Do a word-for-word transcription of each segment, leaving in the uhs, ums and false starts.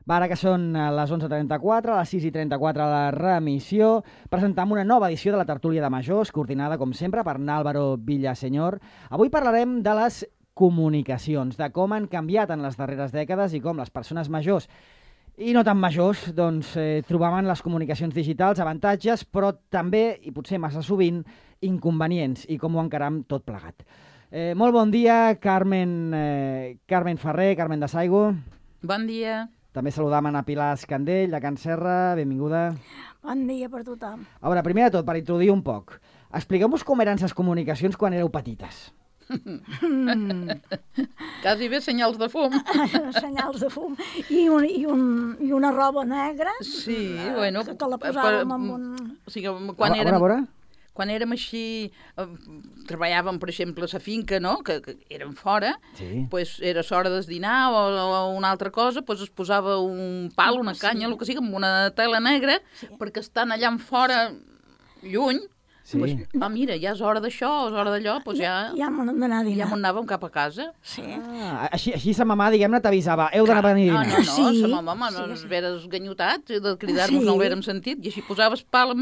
Va, ara que són les onze trenta-quatre, a les sis i trenta-quatre la remissió, presentam una nova edició de la Tertúlia de Majors, coordinada, com sempre, per Álvaro Villaseñor. Avui parlarem de les comunicacions, de com han canviat en les darreres dècades i com les persones majors i no tan majors doncs, eh, trobaven les comunicacions digitals avantatges, però també, i potser massa sovint, inconvenients, i com ho encaram tot plegat. Eh, molt bon dia, Carmen, eh, Carmen Ferrer, Carmen de Saigo. Bon dia. També saludam a Pilar Escandell, de Can Serra, benvinguda. Bon dia per tothom. A veure, primer de tot, per introduir un poc, expliqueu-vos com eren les comunicacions quan éreu petites. Mm. Quasi bé senyals de fum. Senyals de fum. I, un, i, un, i una roba negra. Sí, bueno. Que, que la posàvem en un... O sigui, quan a, érem... A veure, Quan érem així, eh, treballàvem, per exemple, a la finca, no?, que, que érem fora, sí. Pues era l'hora del dinar o, o una altra cosa, pues es posava un pal, una canya, sí. El que sigui, amb una tela negra, sí. Perquè estan allà en fora, lluny, sí. Pues, ah, mira, ja és hora d'això, és hora d'allò, pues ja... Ja hem d'anar a dinar. Ja m'anàvem cap a casa. Sí. Ah, així, així sa mamà, diguem-ne, t'avisava, heu d'anar a venir a dinar. Ah, no, no, sí. sa mamà no ens sí, sí. veres ganyotat, de cridar-nos sí. No ho vérem sentit, i així posaves pal,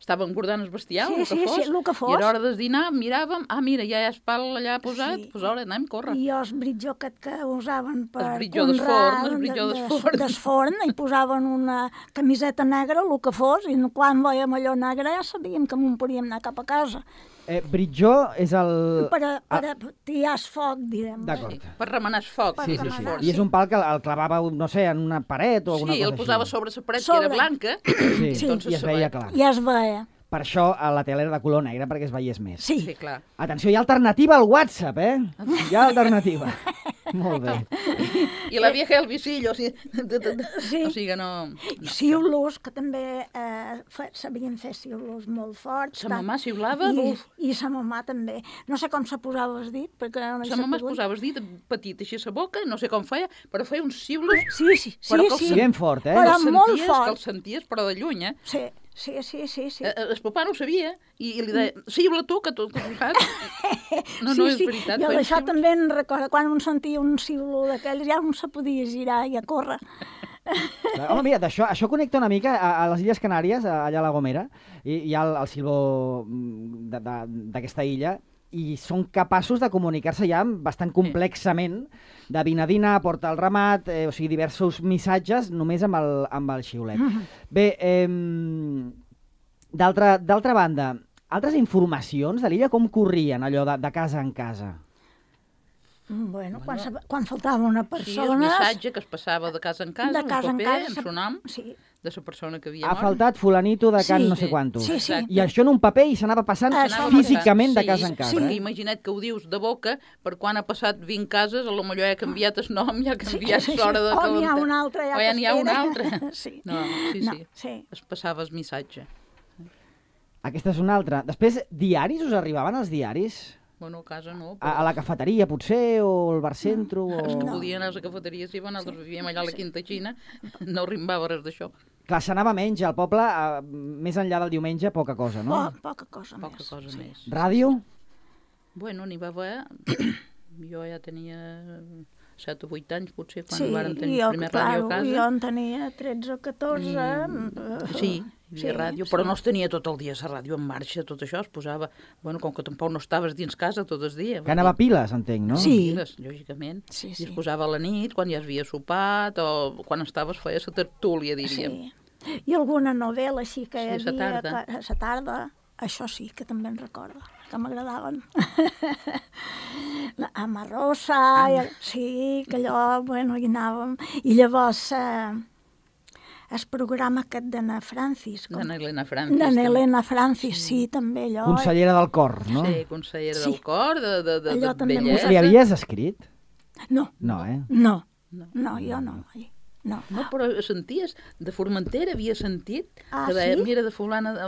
estàvem guardant el bestiar, sí, el que sí, fos, sí, el que fos, i a l'hora de dinar miràvem, ah, mira, ja hi ha el pal allà posat, sí. Pues ara anem, corre. I el britjó aquest que usaven per el britjó del forn, el britjó del forn. Del forn, i posaven una camiseta negra, el que fos, i quan veiem allò negre ja sabíem que m'ho podíem anar cap a casa. Eh, britjó és el... Per a, per a tirar el foc, direm. D'acord. Sí, per remenar el foc. Sí, sí, sí. I és un pal que el clavava, no sé, en una paret o alguna sí, cosa així. Sí, el posava sobre la paret, sobre. Que era blanca. Sí, sí. Doncs i es veia clar. I es veia. Per això a la tele era de color negre, perquè es veiés més. Sí. Sí, clar. Atenció, hi ha alternativa al WhatsApp, eh? Hi ha alternativa. Molt bé. I la vieja el visillo, o sigui, sí. O sigui que no... no. Siulos, que també eh, sabien fer siulos molt forts. Sa mamà siulava? I, I sa mamà també. No sé com se posava el dit, perquè... No sa mamà es posava el dit petit així a la boca, no sé com feia, però feia uns siulos... Sí, sí, sí. Però sí. Ben fort, eh? Però senties, molt fort. Que el senties, però de lluny, eh? Sí. Sí, sí, sí, sí. Eh, el papà no ho sabia i, i li deia, siula tu, que tu, que tu saps. No, no, sí, és sí. veritat. Jo d'això també en recordo, quan un sentia un siulo d'aquells ja un se podia girar i a córrer. Home, mira, això, això connecta una mica a, a les Illes Canàries, allà a La Gomera, i hi ha el, el silbó d'aquesta illa, i són capaços de comunicar-se ja bastant complexament, de vine a dinar, porta el ramat, eh, o sigui, diversos missatges només amb el, amb el xiulet. Bé, eh, d'altra banda, altres informacions de l'illa com corrien, allò de, de casa en casa? Bueno, quan, se, quan faltava una persona... Sí, el missatge que es passava de casa en casa, de casa un paper, en, casa, en son nom, sí. De la persona que havia ha mort. Ha faltat fulanito de can sí, no sé quanto. Sí, sí. I això en un paper i s'anava passant Això físicament sí, de casa en casa. Sí, eh? imagina't que ho dius de boca, per quan ha passat vint cases, a lo millor ja ha canviat el nom, ja ha canviat sí, sí, l'hora de... O n'hi ha un altre ja o ja n'hi ha un altre. Sí. No, sí, no, sí, sí. Es passava el missatge. Aquesta és una altra. Després, diaris, us arribaven els diaris? Bueno, a casa no. Però... A, a la cafeteria, potser, o al bar centro? No. O... Els que podien anar a la cafeteria, si nosaltres sí. Vivíem allà a la Quinta Xina, no rimbava res d'això. Clar, s'anava menys al poble, eh, més enllà del diumenge, poca cosa, no? Po, poca cosa poca més. Cosa sí. més. Ràdio? Bueno, n'hi va haver... Jo ja tenia set o vuit anys, potser, quan sí, varen tenir jo, el primer clar, ràdio a casa. Jo en tenia tretze o catorze. I... Sí, hi havia sí, ràdio, però sí. No es tenia tot el dia la ràdio en marxa, tot això es posava... Bueno, com que tampoc no estaves dins casa tot el dia. Que anava a piles, entenc, no? Sí. Piles, lògicament. Sí, sí. I sí. es posava a la nit, quan ja havies sopat, o quan estaves feia la tertúlia, diríem. Sí. I alguna novel·la així que hi sí, havia... Sa tarda. A la tarda, això sí, que també en recordo, que m'agradaven. La Amarosa, i, sí, que allò, bueno, hi anàvem. I llavors... Eh, el programa aquest d'Anna Francis. Com... D'Anna Helena Francis. D'Anna Helena Francis, sí. sí, també allò. Consellera del cor, no? Sí, consellera sí. del cor, de, de, de, allò de bellesa. Li havies escrit? No. No, eh? No, no, no jo no. No. No, però senties, de Formentera havia sentit, ah, que deia, sí? mira, de fulana de,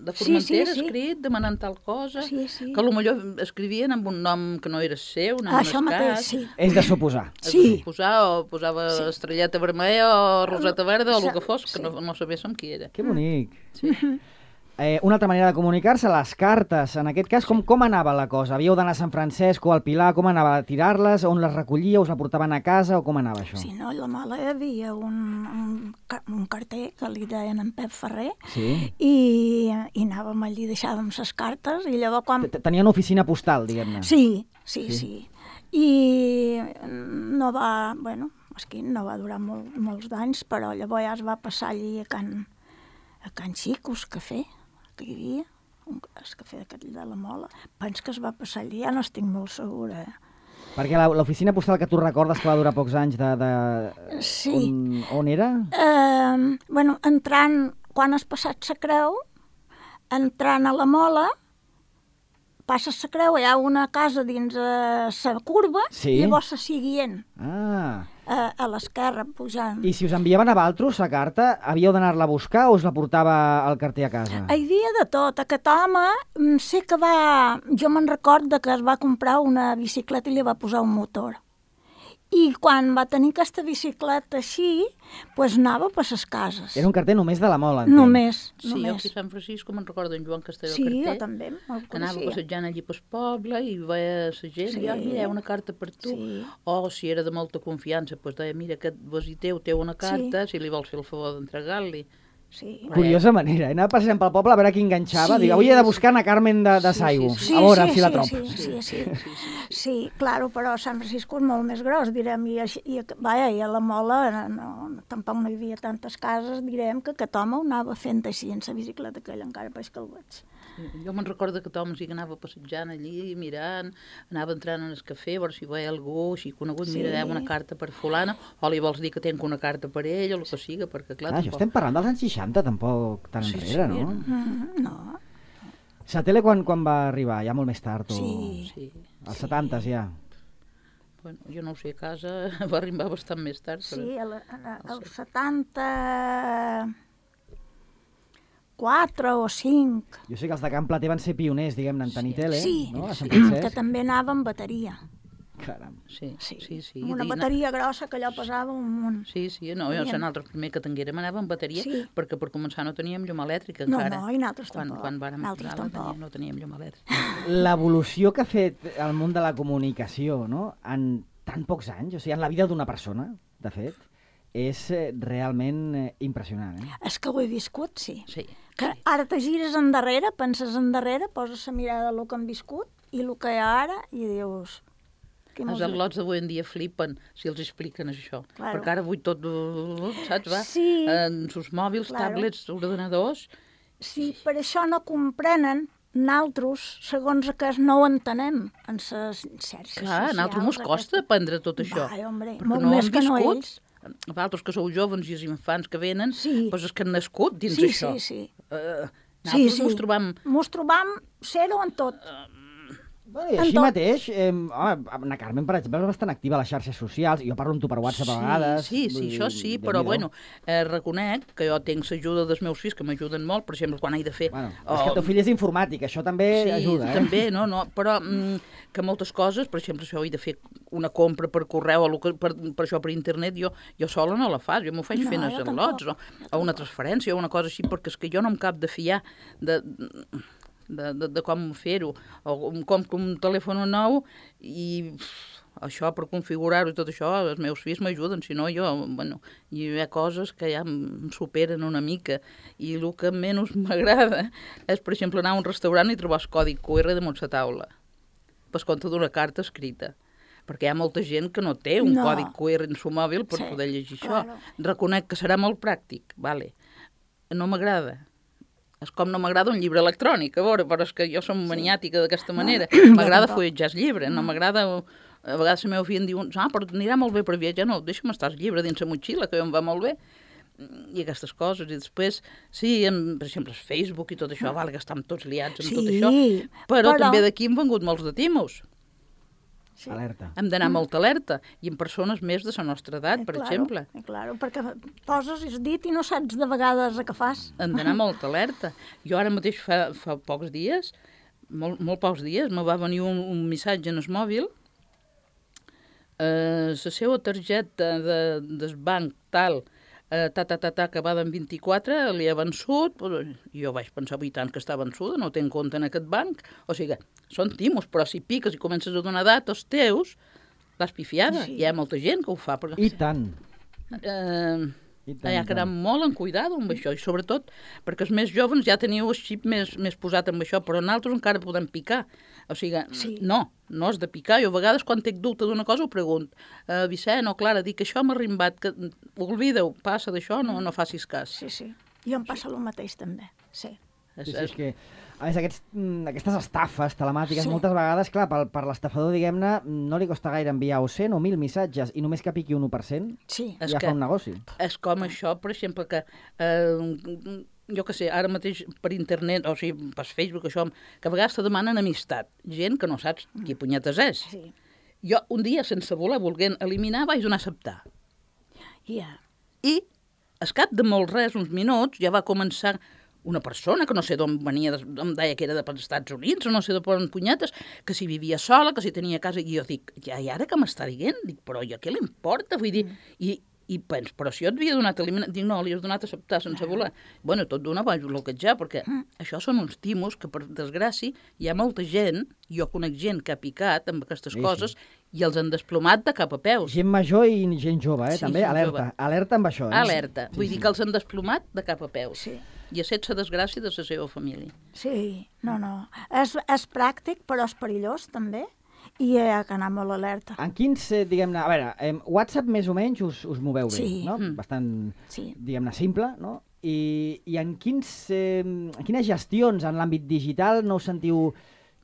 de Formentera sí, sí, sí. escrit, demanant tal cosa, sí, sí. que potser escrivien amb un nom que no era seu, un nom ah, això mateix, sí. És de suposar. Sí. De suposar, o posava sí. estrelleta vermella o roseta verda, o el que fos, que sí. no, no sabéssim qui era. Que bonic. Sí. Eh, una altra manera de comunicar-se, les cartes. En aquest cas, com, com anava la cosa? Havíeu d'anar a Sant Francesc o al Pilar? Com anava a tirar-les? On les recollíeu? Us la portaven a casa? O com anava això? Sí, no, a la Mola hi havia un, un, ca- un carter que li deien en Pep Ferrer Sí. i, i anàvem allí, deixàvem les cartes i llavors quan... T- Tenia una oficina postal, diguem-ne. Sí, sí, Sí. sí, sí. I no va, bueno, és que no va durar molt, molts d'anys, però llavors ja es va passar allí a Can, a Can Xicos Cafè, que hi havia, un, el cafè d'aquest de la Mola. Penso que es va passar allí, ja no estic molt segura. Eh? Perquè la- l'oficina postal que tu recordes que va durar pocs anys de... de... Sí. On, on era? Eh, bueno, entrant, quan has passat la creu, entrant a la Mola, passes la creu, hi ha una casa dins la curva, Sí. i llavors se seguient Ah... a, a l'esquerra, pujant. I si us enviaven a Valtros la carta, havíeu d'anar-la a buscar o us la portava el carter a casa? Hi havia de tot. Aquest home, mm, sé que va... Jo me'n recordo que es va comprar una bicicleta i li va posar un motor. I quan va tenir aquesta bicicleta així, doncs anava per les cases. Era un carter només de la Mola, entenc. Només, Sí, jo només. aquí a Sant Francisco me'n recordo en Joan Castelló Sí, Carter. jo també, me'l Que anava coneixia. passejant allí pel poble i veia la gent, Sí. i deia, mira, hi ha una carta per tu. Sí. O si era de molta confiança, doncs deia, mira, aquest vesiteu té una carta, si li vols fer el favor d'entregar-li. Sí. Curiosa manera, eh? Anava passant pel poble a veure qui enganxava. Sí. Dic, avui he de buscar na Carmen de, de Sí, Saigo, sí, Sí, a veure sí, si la sí, trobo. sí, sí, sí, sí, sí, claro, però Sant Francisco és molt més gros, direm, i, així- i, vaja, i a la Mola no, no, tampoc no hi havia tantes cases, direm que aquest home ho anava fent així en la bicicleta aquella, encara pareix que el veig. Jo me'n recordo que Tom sí que anava passejant allí, mirant, anava entrant en el cafè, a veure si veia algú així conegut, Sí. mira, hi ha una carta per fulana, o li vols dir que tenc una carta per ell, o el que siga, perquè clar, Ah, això estem parlant dels anys seixanta, tampoc tan Sí, enrere, sí, no? Mm, no, La tele quan, quan va arribar? Ja molt més tard? O... Sí. Sí. Als setantes, ja? Bueno, jo no ho sé, a casa va arribar bastant més tard. Però... sí, el, el setanta... quatre o cinc. Jo sé que els de Can Plater van ser pioners, diguem-ne, en tenir tele, Sí, no? A Sant que Francesc. també anava amb bateria. Caram. Sí, sí, sí. sí. Amb una I bateria grossa que allò pesava un munt. Sí, sí, no, jo, Teníem- nosaltres primer que tinguérem anava amb bateria, Sí. perquè per començar no teníem llum elèctrica No, encara. no, i nosaltres quan, tampoc. Quan vàrem Nosaltres posar-la tampoc. teníem, no teníem llum elèctrica. L'evolució que ha fet el món de la comunicació, no?, en tan pocs anys, o sigui, en la vida d'una persona, de fet, és eh, realment eh, impressionant, eh? És que ho he viscut, sí. Sí, Que sí. ara te gires endarrere, penses endarrere, poses la mirada a lo que han viscut i el que hi ha ara i dius... Qui Els mos- al·lots d'avui en dia flipen si els expliquen això. Claro. Perquè ara avui tot, saps, va? Sí. En sus mòbils, Claro. tablets, ordenadors... Sí, per això no comprenen naltros, segons que no ho entenem en les xarxes Clar, a nosaltres mos socials, costa aquestes- aprendre tot això. Vai, hombre, perquè molt no més hem que no viscut. ells. Vosaltres que sou jovens i els infants que venen, Sí. doncs és que han nascut dins Sí, això. sí, sí. Uh, Sí, nosaltres sí. mos trobam... Mos trobam zero en tot. Bueno, I així En tot. mateix, eh, home, na Carmen, per exemple, és bastant activa a les xarxes socials. Jo parlo amb tu per WhatsApp a vegades. Sí, sí, vull això dir, sí, però Déu-n'hi-do. bueno, eh, reconec que jo tinc l'ajuda dels meus fills, que m'ajuden molt, per exemple, quan he de fer... Bueno, és que el teu fill és informàtic, això també sí, ajuda, eh? també, no, no, però mm, que moltes coses, per exemple, si jo he de fer una compra per correu o lo que- per, per això per internet, jo, jo sola no la faig, jo m'ho faig No, fent jo els al·lots o, tampoc, o una transferència o una cosa així, perquè és que jo no em cap de fiar de, de, de, de com fer-ho, o em compro un telèfon nou i pff, això per configurar-ho i tot això, els meus fills m'ajuden, si no jo, bueno, hi ha coses que ja em superen una mica i el que menys m'agrada és, per exemple, anar a un restaurant i trobar el codi Q R damunt la taula, per compte d'una carta escrita, perquè hi ha molta gent que no té un No. codi Q R en el mòbil per Sí, poder llegir això. claro. Reconec que serà molt pràctic, vale. No m'agrada. És com no m'agrada un llibre electrònic, a veure, però és que jo som maniàtica d'aquesta manera. M'agrada tampoc. fulletjar el llibre, no m'agrada... A vegades la meva filla em diu, ah, però anirà molt bé per viatjar. No, deixa'm estar el llibre dins la motxilla, que em va molt bé. I aquestes coses. I després, sí, en, per exemple, el Facebook i tot això, val, que estem tots liats amb Sí, tot això, però, però- també d'aquí han vengut molts de timos. Sí. Alerta. Hem d'anar molt alerta, i en persones més de la nostra edat, Eh, per claro, exemple. eh, Claro, perquè poses el dit i no saps de vegades a què fas. Hem d'anar molt alerta. Jo ara mateix fa, fa pocs dies, molt, molt pocs dies, me va venir un, un missatge en el mòbil, eh, la seva targeta de, del banc tal eh, ta, ta, ta, ta, acabada en vint-i-quatre, li ha vençut, pues, jo vaig pensar, i tant que està vençuda, no té en compte en aquest banc, o sigui, són timos, però si piques i comences a donar datos teus, l'has pifiada, Sí. hi ha molta gent que ho fa. Perquè, I tant. eh, I tant, hi ha i que anar tant. molt en cuidado amb això, i sobretot perquè els més joves ja teniu el xip més, més posat amb això, però nosaltres encara podem picar. O sigui, Sí. no, no has de picar. Jo a vegades quan tinc dubte d'una cosa ho pregunto. Uh, Vicent o Clara, dic que això m'ha rimbat, que oblida-ho, passa d'això, no, no facis cas. Sí, sí. I em passa el mateix també, sí. És, Sí, sí, és és, que, a més, aquests, mm, aquestes estafes telemàtiques, Sí. moltes vegades, clar, per, per l'estafador, diguem-ne, no li costa gaire enviar o cent o mil missatges, i només que piqui un u per cent, Sí, És ja que- fa un negoci. és com això, per exemple, que eh, jo que sé, ara mateix per internet, o sigui, per Facebook, això, que a vegades te demanen amistat. Gent que no saps qui punyetes és. sí. Jo un dia, sense voler, volent eliminar, vaig donar a acceptar. Ja. I, al cap de molt res, uns minuts, ja va començar una persona que no sé d'on venia, em deia que era dels Estats Units, o no sé de per on punyetes, que si vivia sola, que si tenia casa, i jo dic, ja, i ara que m'està dient? Dic, però ja què li importa? Vull dir, i, i pens, però si jo et havia donat a eliminar, dic, no, li has donat a acceptar sense voler. Bueno, tot d'una vaig bloquejar, perquè això són uns timos que, per desgràcia, hi ha molta gent, jo conec gent que ha picat amb aquestes Sí, coses, sí. i els han desplomat de cap a peus. Gent major i gent jove, eh? Sí, també, gent alerta. jove. Alerta amb això, eh? Alerta. Vull dir que els han desplomat de cap a peus. Sí. I a sense desgràcia de la seva família. Sí, no, no. És, és pràctic, però és perillós, també, i hi ha que anar molt alerta. En quins, eh, diguem-ne, a veure, eh, WhatsApp més o menys us, us moveu bé, Sí. no? Mm. Bastant, Sí. diguem-ne, simple, no? I, i en, quins, eh, en quines gestions en l'àmbit digital no us sentiu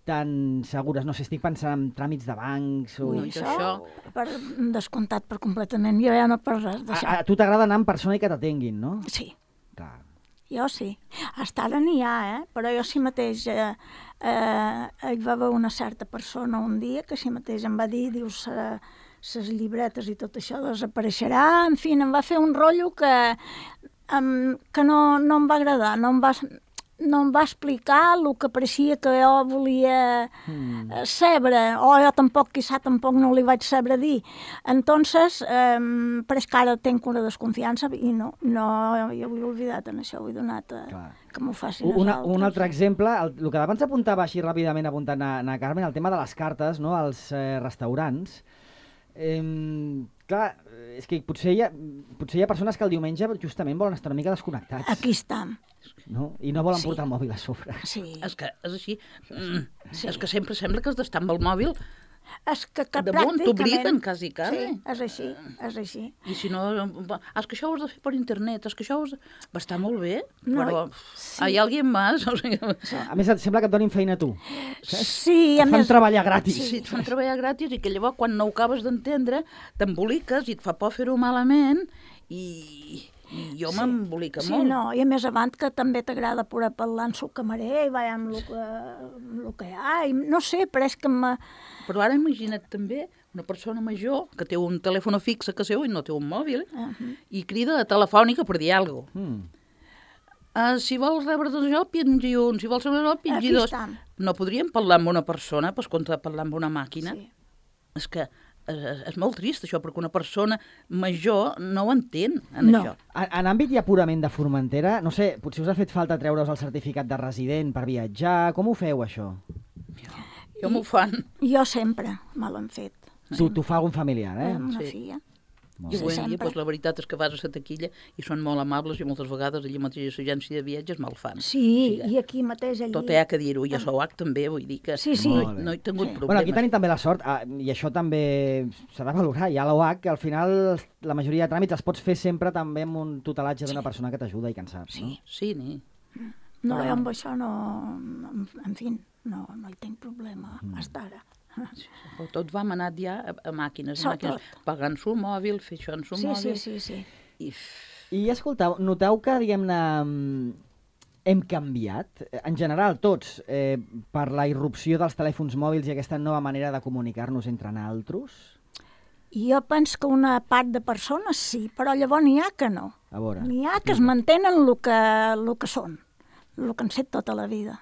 tan segures? No sé, estic pensant en tràmits de bancs o... Ui, Ui, això- això, per, descomptat per completament. Jo ja no per res A, d'això. a tu t'agrada anar en persona i que t'atenguin, no? Sí, Clar. jo sí. Hasta ara n'hi ha, eh? Però jo sí mateix eh, eh, hi va haver una certa persona un dia que sí mateix em va dir, dius, eh, ses llibretes i tot això desapareixerà, en fi, em va fer un rotllo que, em, que no, no em va agradar, no em va, no em va explicar el que pareixia que jo volia Mm. eh, saber, o jo tampoc, quizá tampoc no li vaig saber dir. Entonces, eh, però és que ara tenc una desconfiança i no, no, jo ho he oblidat en això, ho he donat a, Clar. que m'ho facin els Una, altres. un altre exemple, el, el que abans apuntava així ràpidament apuntant a, a Carmen, el tema de les cartes, no?, als eh, restaurants. Eh, clar, és que potser hi, ha, potser hi ha persones que el diumenge justament volen estar una mica desconnectats, Aquí estem, no? I no volen Sí. portar el mòbil a sobre. sí. És que és així. Mm. Sí. És que sempre sembla que has d'estar amb el mòbil És que, que damunt, pràcticament... t'obliguen quasi, quasi. Sí, és així, és així. I si no, va, és que això ho has de fer per internet, és que això ho has de... Va estar molt bé, No, però sí. hi ha alguien més. O sigui, A més, et sembla que et donin feina a tu. Sí, a Et fan més... treballar gratis. sí, et fan treballar gratis i que llavors quan no ho acabes d'entendre t'emboliques i et fa por fer-ho malament i, i jo Sí. m'embolica Sí, molt. no, i a més avant que també t'agrada poder parlar amb el camarer i veure amb el que, amb el que hi ha, i no sé, però és que me... Però ara imagina't també una persona major que té un telèfon fix a casa seu i no té un mòbil Uh -huh. i crida a telefònica per dir alguna cosa. Mm. Uh, si vols rebre això, pingi un. Si vols rebre això, pingi Aquí dos. estem. No podríem parlar amb una persona per contra de parlar amb una màquina? Sí. És que és, és, és molt trist això, perquè una persona major no ho entén, en No. això. En, en àmbit ja purament de Formentera, no sé, potser us ha fet falta treure's el certificat de resident per viatjar, com ho feu, això? Jo m'ho fan. Jo sempre me l'han fet. Tu, tu fa algun familiar, eh? Amb una Sí. filla. Molt I Sí, avui en dia, sempre. doncs, la veritat és que vas a la taquilla i són molt amables i moltes vegades allà mateix a l'agència de viatges me'l fan. Sí, O sigui, i aquí mateix, allí. tot hi ha que dir-ho, i a Soac també, vull dir que Sí, sí. no, Molt bé. no he tingut Sí. problemes. Bueno, aquí tenim també la sort, ah, i això també s'ha de valorar, hi ha l'O H, que al final la majoria de tràmits els pots fer sempre també amb un tutelatge d'una persona que t'ajuda i que en saps, no? Sí, ni. No, Però- jo amb això no... En, en fi, no, no hi tinc problema, Mm. hasta ara. Però tot va manat ja a, a màquines, Això a màquines, tot. pagant su mòbil, fer això en su Sí, mòbil. sí, sí, sí. I... I escoltau, noteu que, diguem-ne, mm, hem canviat, eh, en general tots, eh, per la irrupció dels telèfons mòbils i aquesta nova manera de comunicar-nos entre naltros? Jo penso que una part de persones sí, però llavors n'hi ha que no. A veure. N'hi ha que es mantenen el que, el que són, el que han set tota la vida.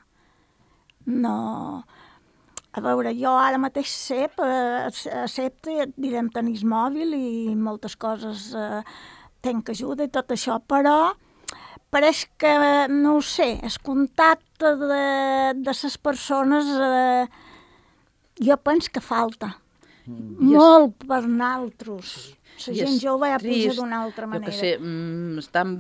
No... A veure, jo ara mateix sep, eh, accepte, direm, tenir mòbil i moltes coses eh, tenc ajuda i tot això, però pareix que, no ho sé, el contacte de, de les persones, eh, jo penso que falta. Mm. Molt per naltros. La gent jove ja puja d'una altra manera. Jo que sé, mm, estem,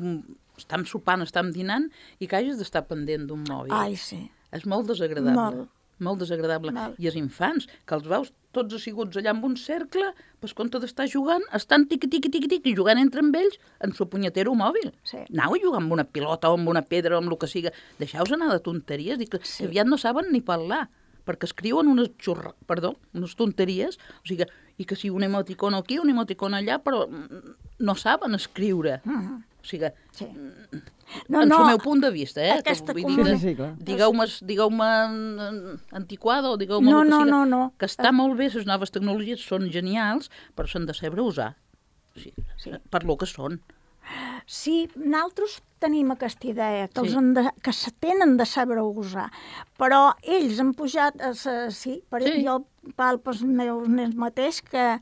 estem sopant, estem dinant i que hagis d'estar pendent d'un mòbil. Ai, sí. És molt desagradable. Molt. Molt desagradable. Molt. I els infants, que els veus tots asseguts allà en un cercle, pues, compte d'estar jugant, estan tiqui, tiqui, tiqui, tiqui, jugant entre amb ells en su punyetero mòbil. Sí. Anau a jugar amb una pilota o amb una pedra o amb el que siga. Deixeu-vos anar de tonteries. Dic que Sí. aviat no saben ni parlar, perquè escriuen unes xurra... Perdó, unes tonteries, o sigui, i que si un emoticon aquí, un emoticon allà, però no saben escriure. Mm. O sigui, Sí. no, en no, el meu punt de vista, eh? aquesta que, comunicació- dir, Sí, sí, clar. Digueu-me digueu antiquada o digueu-me No, el que no, siga. no, no. Que està molt bé, les noves tecnologies són genials, però s'han de saber usar. O sigui, Sí. per lo que són. Sí, nosaltres tenim aquesta idea, que, Sí. els han de, que se tenen de saber usar, però ells han pujat, a sa, sí, per Sí. jo parlo pels meus nens mateix, que,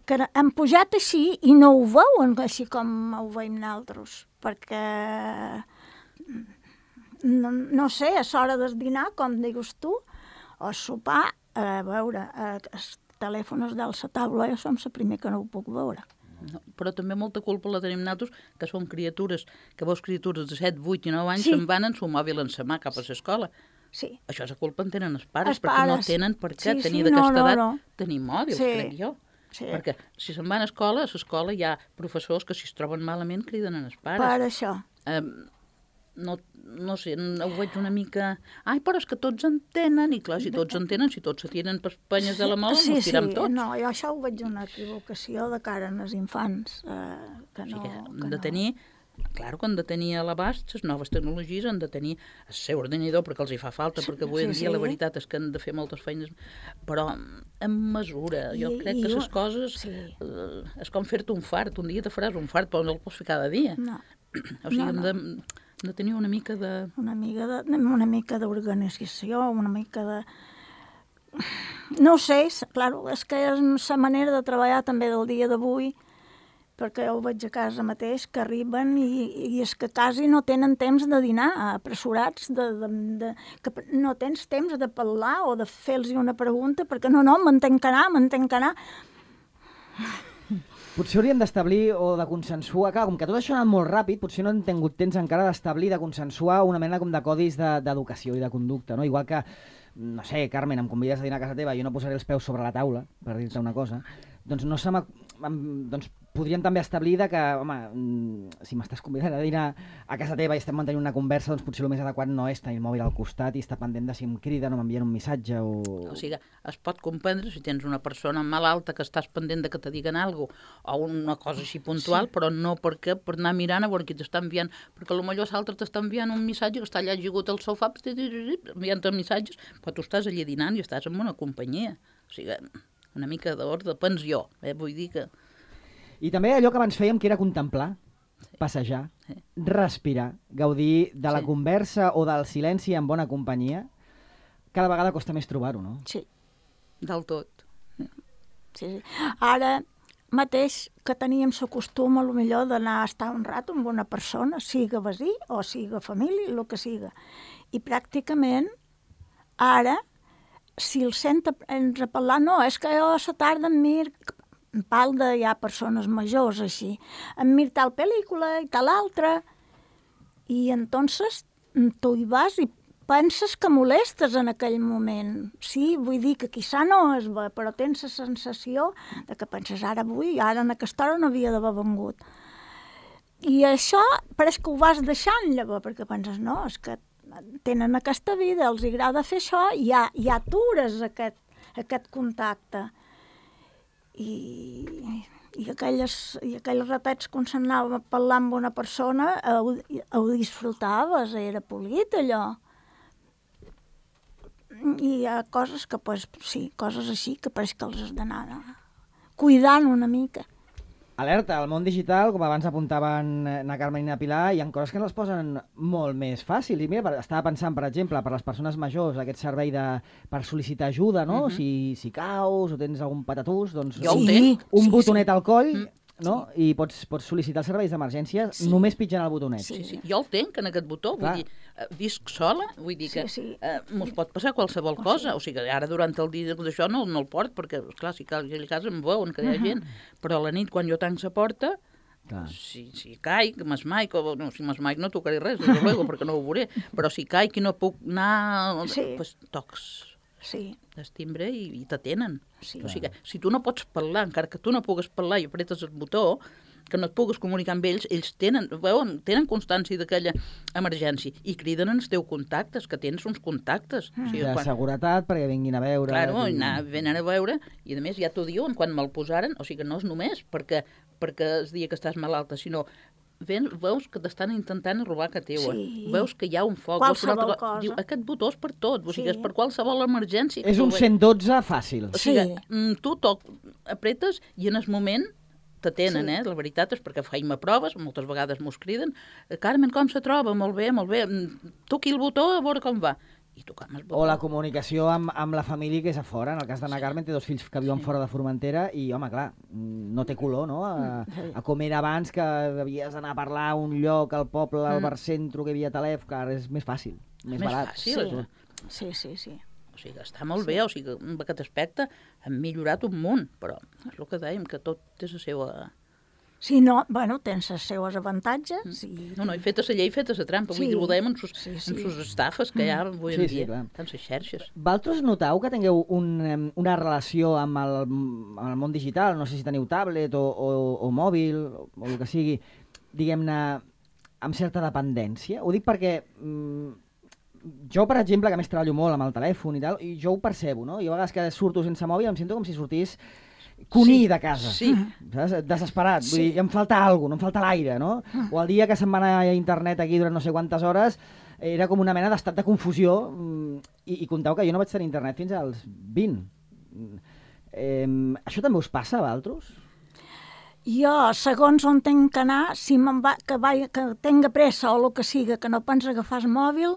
que han pujat així i no ho veuen així com ho veiem nosaltres, perquè, no, no sé, a l'hora del dinar, com digues tu, o sopar, a veure, eh, els telèfons de la taula, jo som la primer que no ho puc veure. No, però també molta culpa la tenim nosaltres, que són criatures, que veus criatures de set, vuit i nou anys, Sí. se'n van en su mòbil en sa mà cap a l'escola. Sí. Això és la culpa en tenen els pares, Els perquè no pares. tenen per què Sí, tenir sí, d'aquesta no, no, edat no. tenir mòbils, Sí. crec jo. Sí. Perquè si se'n van a escola, a l'escola hi ha professors que si es troben malament criden en els pares. Per això. Eh, no, no sé, ho veig una mica... Ai, però és que tots en tenen, i clar, si tots en tenen, si tots se tiren per penyes de la mola, sí, ens tirem sí, tots. no, jo això ho veig una equivocació de cara als infants. Eh, que O sigui no, que que han de no. tenir, clar que han de tenir a l'abast, les noves tecnologies han de tenir el seu ordinador perquè els hi fa falta, perquè avui en sí, dia sí. la veritat és que han de fer moltes feines, però en mesura. Jo I- crec i que jo- les coses sí. eh, és com fer-te un fart. Un dia te faràs un fart, però no el pots fer cada dia. No, O sigui, no, hem no. de, hem de tenir una mica de... una mica de, una mica d'organització, una mica de... No ho sé, és- claro, és que és la manera de treballar també del dia d'avui, perquè jo ho veig a casa mateix, que arriben i, i és que quasi no tenen temps de dinar, apressurats, de, de, de, que no tens temps de parlar o de fer-los una pregunta, perquè no, no, m'entenc que anar, m'entenc que anar. Potser hauríem d'establir o de consensuar, clar, com que tot això ha anat molt ràpid, potser no hem tingut temps encara d'establir, de consensuar una mena com de codis de- d'educació i de conducta, no? Igual que, no sé, Carmen, em convides a dinar a casa teva i jo no posaré els peus sobre la taula, per dir-te una cosa, doncs no se m'ha... em- doncs podríem també establir de que, home, mm, si m'estàs convidant a dinar a casa teva i estem mantenint una conversa, doncs potser el més adequat no és tenir el mòbil al costat i estar pendent de si em criden o m'envien un missatge o... O sigui, es pot comprendre si tens una persona malalta que estàs pendent de que te diguen alguna cosa o una cosa així puntual, sí. Però no perquè per anar mirant a veure qui t'està enviant, perquè potser l'altre t'està enviant un missatge que està allà ajigut al sofà enviant-te missatges, però tu estàs allà dinant i estàs en una companyia. O sigui, una mica d'ordre, pensió, eh? Vull dir que... I també allò que abans fèiem, que era contemplar, passejar, Sí. respirar, gaudir de la Sí. conversa o del silenci en bona companyia, cada vegada costa més trobar-ho, no? Sí. Del tot. Sí, sí. Ara mateix que teníem la costum, a lo millor, d'anar a estar un rato amb una persona, siga veí o siga família, el que siga. I pràcticament, ara, si el sent ens a parlar, no, és que jo a la tarda em mir, em parlo de ja persones majors així, em mir tal pel·lícula i tal altra, i entonces tu hi vas i penses que molestes en aquell moment. Sí, vull dir que quizà no es ve, però tens la sensació de que penses ara avui, ara en aquesta hora no havia d'haver vengut. I això pareix que ho vas deixant llavors, perquè penses, no, és que tenen aquesta vida, els agrada fer això, i ja, ja atures aquest, aquest contacte. I, i, aquelles, i aquells ratets quan s'anava a parlar amb una persona, ho, ho disfrutaves, era polit allò. I hi ha coses que, pues, sí, coses així que pareix que els has d'anar cuidant una mica. Alerta, al món digital, com abans apuntaven na Carmen i na Pilar, hi ha coses que ens les posen molt més fàcils. I mira, estava pensant, per exemple, per les persones majors, aquest servei de, per sol·licitar ajuda, no? Uh -huh. si, si caus o tens algun patatús, doncs Jo ho un, tinc. un Sí, botonet sí. al coll, Mm. no? I pots, pots sol·licitar els serveis d'emergència Sí. només pitjant el botonet. Sí. Sí, jo el tenc, en aquest botó, Clar. vull dir, eh, visc sola, vull dir que Sí, sí. eh, mos pot passar qualsevol O cosa, o sigui, ara durant el dia d'això no, no el port, perquè, esclar, si cal a casa em veuen que hi ha gent, però a la nit, quan jo tanc la porta, Clar. si, si caic, m'esmaic, o no, si m'esmaic no tocaré res, des de luego, perquè no ho veuré, però si caic i no puc anar, Sí. pues, tocs Sí, el timbre i, i t'atenen. Sí. O sigui, que, si tu no pots parlar, encara que tu no pugues parlar i apretes el botó, que no et pugues comunicar amb ells, ells tenen, veuen, tenen constància d'aquella emergència i criden els teus contactes, que tens uns contactes. O sigui, De quan, seguretat, perquè vinguin a veure... claro, i- anar, venen a veure, i a més ja t'ho diuen quan me'l posaren, o sigui que no és només perquè, perquè es dia que estàs malalta, sinó ven, veus que t'estan intentant robar que teua, Sí. veus que hi ha un foc, veus que una Qualsevol altra cosa. diu, aquest botó és per tot, o sigui, Sí. és per qualsevol emergència. És que un tu ve- cent dotze fàcil. o sigui, Sí. mm, tu toc, apretes i en el moment t'atenen, Sí. eh? La veritat és perquè feim a proves, moltes vegades mos criden, Carmen, com se troba? Molt bé, molt bé, mm, toqui el botó a veure com va. I tocam el botó. O la comunicació amb, amb la família que és a fora. En el cas d'Anna Carmen té dos fills que viuen Sí. fora de Formentera i, home, clar, mm, no té color, no? A, a com era abans, que havies d'anar a parlar a un lloc, al poble, al Mm. barcentro, que hi havia telèfon, que ara és més fàcil, més, Més barat. fàcil. sí, sí, sí. O sigui, està molt bé, o sigui, en aquest aspecte hem millorat un munt, però és el que dèiem, que tot té la seva... Si no, bueno, tens els seus avantatges i... No, no, i feta la llei, feta la trampa, Sí. vull dir, ho dèiem en sus, Sí, en sí. sus estafes que hi ha avui en Sí, sí, dia, clar. tant les xarxes. Vosaltres noteu que tingueu un, em, una relació amb el, amb el món digital, no sé si teniu tablet o, o, o mòbil, o, o el que sigui, diguem-ne, amb certa dependència? Ho dic perquè mm, jo, per exemple, que a més treballo molt amb el telèfon i tal, i jo ho percebo, no? Jo a vegades que surto sense mòbil em sento com si sortís cuní Sí, de casa. sí. Saps? Desesperat. Vull Sí. dir, em falta alguna cosa, no em falta l'aire, no? O el dia que se'm va anar a internet aquí durant no sé quantes hores, era com una mena d'estat de confusió, mm, i, i compteu que jo no vaig tenir internet fins als vint. Mm, Eh, això també us passa a vosaltres? Jo, segons on tenc que anar, si me'n va, que, va, que tenga pressa o el que siga, que no pensa agafar el mòbil,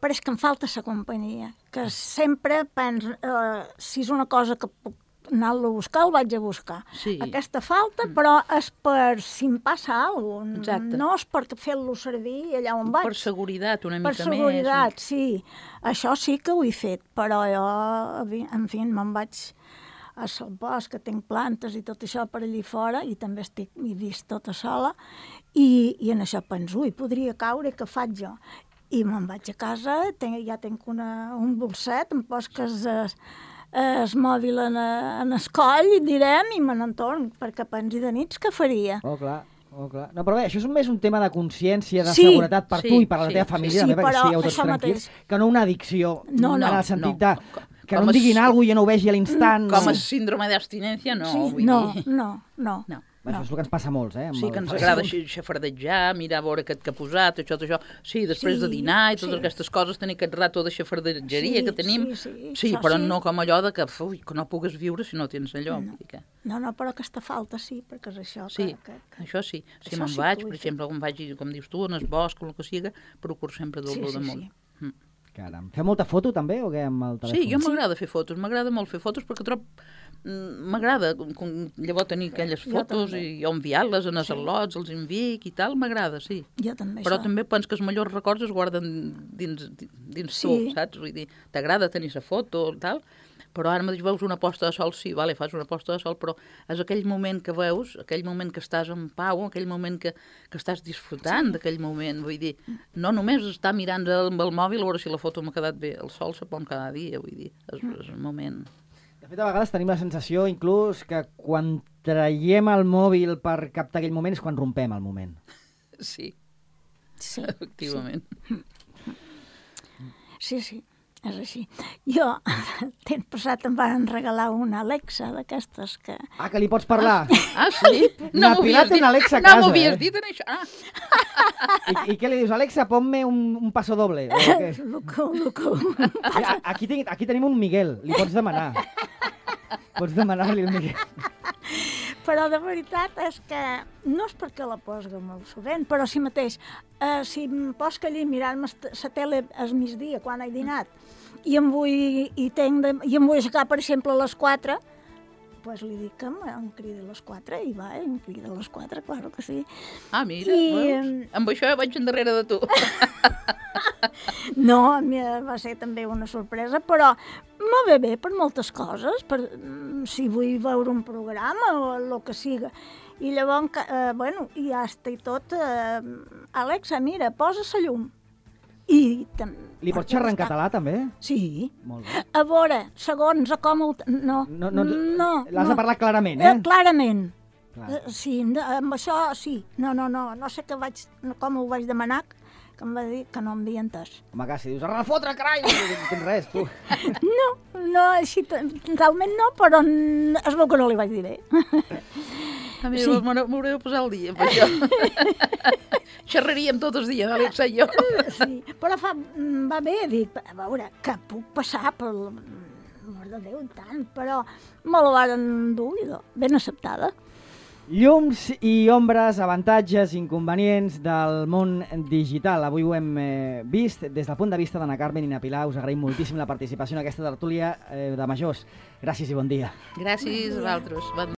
però és que em falta la companyia. Que sempre penso, eh, si és una cosa que puc anar-lo a buscar, el vaig a buscar. Sí. Aquesta falta, però és per si em passa alguna cosa. Exacte. No és per fer-lo servir allà on vaig. Per seguretat, una mica Per seguretat, més. sí. Això sí que ho he fet, però jo, en fi, me'n vaig a sol bosc, que tinc plantes i tot això per allí fora, i també estic, he vist tota sola, i, i en això penso, ui, podria caure, què faig jo? I me'n vaig a casa, tenc, ja tinc una, un bolset, em posques el, el mòbil en, en el coll, direm, i me n'entorn, perquè pensi de nits què faria? Oh, clar. Oh, clar. No, però bé, això és més un tema de consciència, de Sí, seguretat per sí, tu i per la sí, teva sí, família, sí, també, perquè però estigueu tots això tranquils, mateix. que no una addicció, No, no, en el sentit no. de que Com no em es- diguin alguna cosa i jo no ho vegi a l'instant. Com no. a síndrome d'abstinència, no, sí, vull no, dir... no, no, No. Bé, Això és el que ens passa a molts, eh? amb Sí, el- que ens agrada xe- xafardejar, mirar a veure aquest que ha posat, això, això. Sí, després Sí, de dinar i totes sí. aquestes coses, tenir aquest rato de xafardegeria Sí, que tenim. sí, sí, sí això però sí. no com allò de que, ui, que no pugues viure si no tens allò. No. Vull dir que... No, no, però aquesta falta sí, perquè és això Sí, que... que, que... això sí. Si Això me'n sí que vaig, ho he per fet. exemple, quan vaig, com dius tu, en el bosc o el que siga, procuro sempre Sí, dur-lo sí, damunt. sí. Mm. Caram. Feu molta foto també o què amb el telèfon? Sí, jo m'agrada fer fotos, m'agrada molt fer fotos perquè trob... mm, M'agrada com- com llavors tenir aquelles Jo fotos també. i jo enviar-les en els Sí. al·lots, els envic i tal, m'agrada, sí. Jo també, Però això. també penso que els millors records es guarden dins, dins Sí. tu, saps? Vull dir, t'agrada tenir la foto i tal, però ara mateix veus una posta de sol, sí, vale, fas una posta de sol, però és aquell moment que veus, aquell moment que estàs en pau, aquell moment que, que estàs disfrutant Sí. d'aquell moment, vull dir, no només estar mirant el, amb el mòbil a veure si la foto m'ha quedat bé, el sol se pon cada dia, vull dir, és, és un moment... De fet, a vegades tenim la sensació, inclús, que quan traiem el mòbil per captar aquell moment és quan rompem el moment. Sí, Sí, efectivament. sí, sí, és així. Jo, l'any passat em van regalar una Alexa d'aquestes que... Ah, que li pots parlar. Ah, sí? Na m'ho Pilar havies té dit. una Alexa a No casa, m'ho havies eh? dit, en això. Ah, I, I què li dius? Alexa, ponme un, un paso doble. O què? Lo que, lo que... A- Aquí, tinc, aquí tenim un Miguel, li pots demanar. Pots demanar-li el Miguel. Però de veritat és que no és perquè la posga molt sovint, però si mateix, eh, si em posca allí mirant-me la tele al migdia quan he dinat i em vull, i tenc de, i em vull aixecar, per exemple, a les quatre, pues li dic que em cridi a les quatre i va, em crida a les quatre, claro que sí. Ah, mira, I, veus? Amb això vaig endarrere de tu. No, a mi va ser també una sorpresa, però me ve bé per moltes coses, per, si vull veure un programa o el que siga. I llavors, eh, bueno, i ja està i tot, eh, Alexa, mira, posa la llum. I Li pots xerrar en català, també? Sí. Molt bé. A veure, segons a com... El... No, no, no, no. L'has no. de parlar clarament, eh? eh clarament. Clar. Eh, sí, amb això sí. No, no, no, no sé que vaig, com ho vaig demanar, que em va dir que no em havia entès. Home, que si dius, a refotre, carai, no tens res, tu. No, no, així, realment no, però es veu que no li vaig dir bé. A mi sí. M'hauré de posar al dia amb això. Xerraríem tots els dies, Àlex i jo. Sí, però fa, va bé, dic, a veure, que puc passar per... Mort de Déu, tant, però me la varen dur, ben acceptada. Llums i ombres, avantatges, inconvenients del món digital. Avui ho hem eh, vist des del punt de vista d'Anna Carmen i na Pilar. Us agraïm moltíssim la participació en aquesta tertúlia eh, de majors. Gràcies i bon dia. Gràcies a vosaltres. Bon dia.